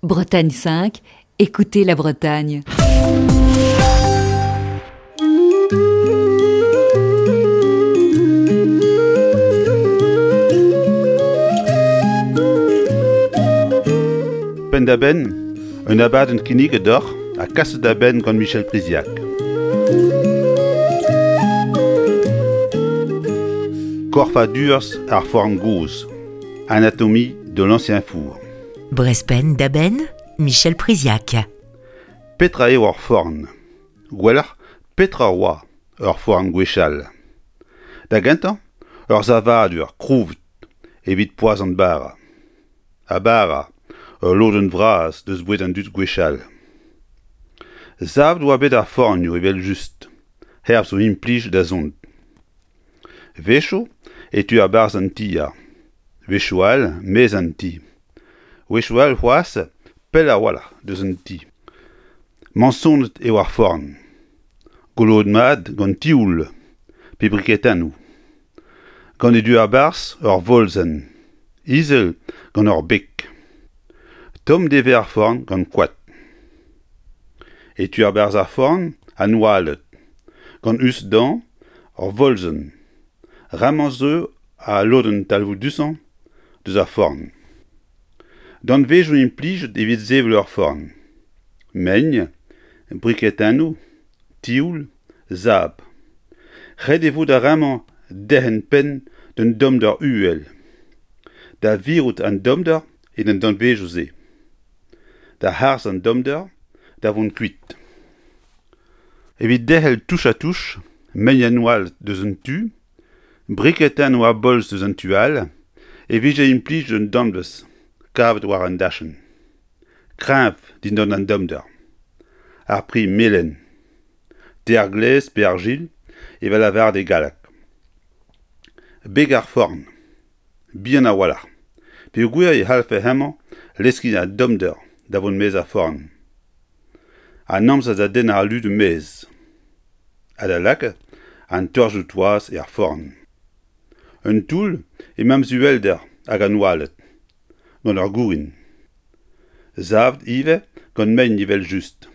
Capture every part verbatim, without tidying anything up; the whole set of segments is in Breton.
Bretagne cinq, écoutez la Bretagne. Penn-da-benn, un abadenn kinniget deoc'h ha kaset da benn gant Michel Priziac. Korfadurzh ar forn gozh, anatomie de l'ancien four. Brezh Penn-da-Benn, Michel Priziac. Petra eo ur forn? Gwelloc'h, petra oa ur forn gwechall? Da gentañ, ur savadur krouet evit poazhañ bara. Ha bara, ul lodenn vras deus boued an dud gwechall. Savet oa bet ar fornioù evel-just, hervez o implij da zont. Wechoù e teu a-barzh an tier, wechoù all maez an ti. Wechoù all c'hoazh pell a-walc'h deus an ti. Mañsonet eo ar forn. Goloet mat gant tioul pe briketennoù. Gant e du a-barzh ur volzenn, izel gant ur beg. Tomm e vez ar forn gant koad. E tu a-barzh ar forn an oaled, gant us dezhañ ur volzenn. Ramañ zo al lodenn talvoudusañ deus ar forn. Danvezioù implijet evit sevel ur forn. Mein, briketennoù, tioul, sabl. Ret e vo d'ar ramañ derc'hen penn d'un tommder uhel. Da virout an tommder en an danvezioù-se. Da harz an tommder da vont kuit. Evit derc'hel touch-ha-touch, mein an oaled deus un tu, briketennoù ha bolz deus an tu all, e vije implijet un danvez kavet war an dachenn. Kreñv dindan an tommder. Ar pri melen. Ter glez pe argil evel lavaret e galleg. Beg ar forn. Bihan a-walc'h. Peogwir e c'hallfe hemañ leskiñ an tommder da vont maez ar forn. An amzer da dennañ al ludu maez. Ha da lakaat an torjoù-toaz er forn. Un toull e memes uhelder hag an oaled, gant ur gourin. Savet ivez gant mein evel-just.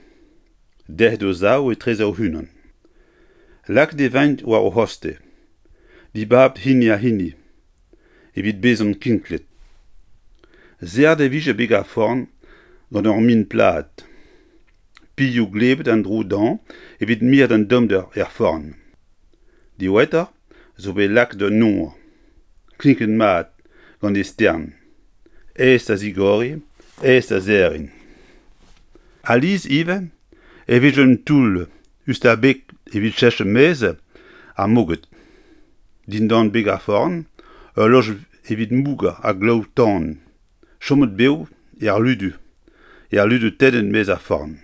Derc'het o sav etreze o-unan. Lakaet e vint war o c'hostez. Dibabet hini ha hini, evit bezañ kinklet. Serret e vije beg ar forn gant ur min plat. Pilhoù glebet en-dro dezhañ evit mirout an tommder er forn. Diwezhatoc'h zo bet lakaet un nor, klinket mat gant e stern. Aes da zigoriñ, aes da serriñ. Alies ivez e vije un toull us d'ar beg evit cheñch maez ar moged. Dindan beg ar forn, ul loj evit mougañ ar glaou-tan, chomet bev er ludu, er ludu tennet maez ar forn.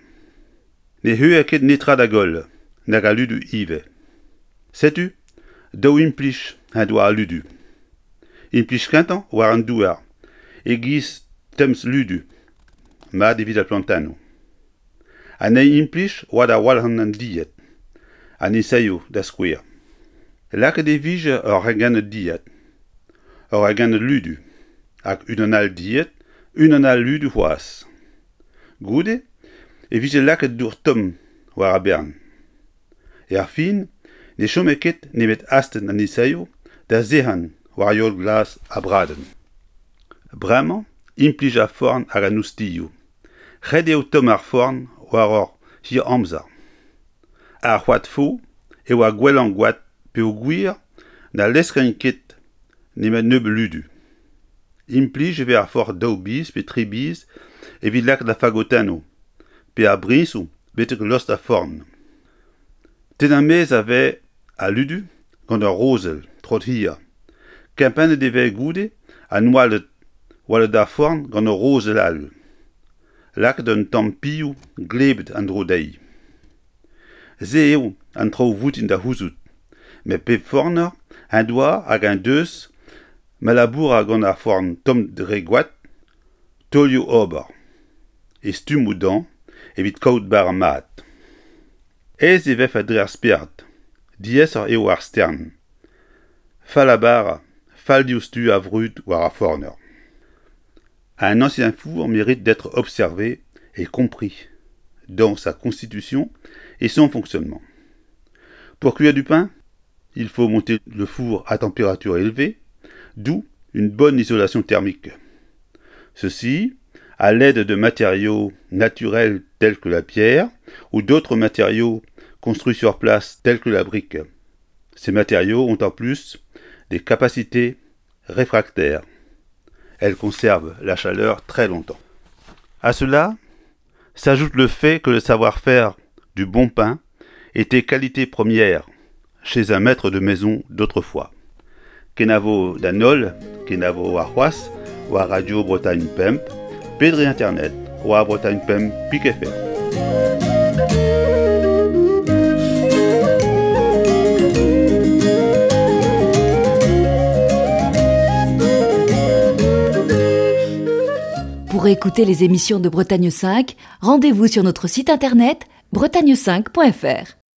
Ne c'heuer ket netra da goll, nag al ludu ivez. Setu daou implij en doa al ludu. Implij kentañ war an douar, e-giz temz-ludu, mat evit ar plantennoù. An eil implij oa da walc'hañ an dilhad, an esaeoù da skouer. Lakaet e vije ur regennad dilhad, ur regennad ludu, hag unan all dilhad, unan all ludu c'hoazh. Goude e vije lakaet dour tomm war ar bern. Er fin ne chome ket nemet astenn an esaeoù da sec'hañ war yod glas ha bradenn. Bremañ implij ar forn hag an oustilhoù. Ret eo tomm ar forn war ur hir amzer. Ar c'hoad fo eo ar gwellañ goad peogwir na leskañ ket nemet nebeut ludu. Implij e vez ar forn daou biz pe tri biz evit lakaat ar fagotennoù pe ar briñsoù betek lost ar forn. Tennañ maez a vez al ludu gant ur rozell troad-hir. Kempennet e vez goude an oaled oaled ar forn gant ur rozell all. Lakaet un tamm pilhoù glebet en-dro dezhi. Se eo an traoù voutin da c'houzout, met pep forner en doa hag en deus ma laboura gant ar forn tomm dre goad, taolioù ober. E stummoù dezhañ evit kaout bara mat. Aes e vefe dre ar spered, diaesoc'h eo ar stern. Fall ha bara, fall diouzhtu a vrud war ar forner. Un ancien four mérite d'être observé et compris dans sa constitution et son fonctionnement. Pour cuire du pain, il faut monter le four à température élevée, d'où une bonne isolation thermique. Ceci, à l'aide de matériaux naturels tels que la pierre ou d'autres matériaux construits sur place tels que la brique. Ces matériaux ont en plus des capacités réfractaires. Elles conservent la chaleur très longtemps. À cela s'ajoute le fait que le savoir-faire du bon pain était qualité première chez un maître de maison d'autrefois. Kenavo d'an holl, kenavo warc'hoazh, war Radio Bretagne Pemp, pe dre internet, war Bretagne Pemp pik F R. Pour écouter les émissions de Bretagne cinq, rendez-vous sur notre site internet bretagne cinq point F R.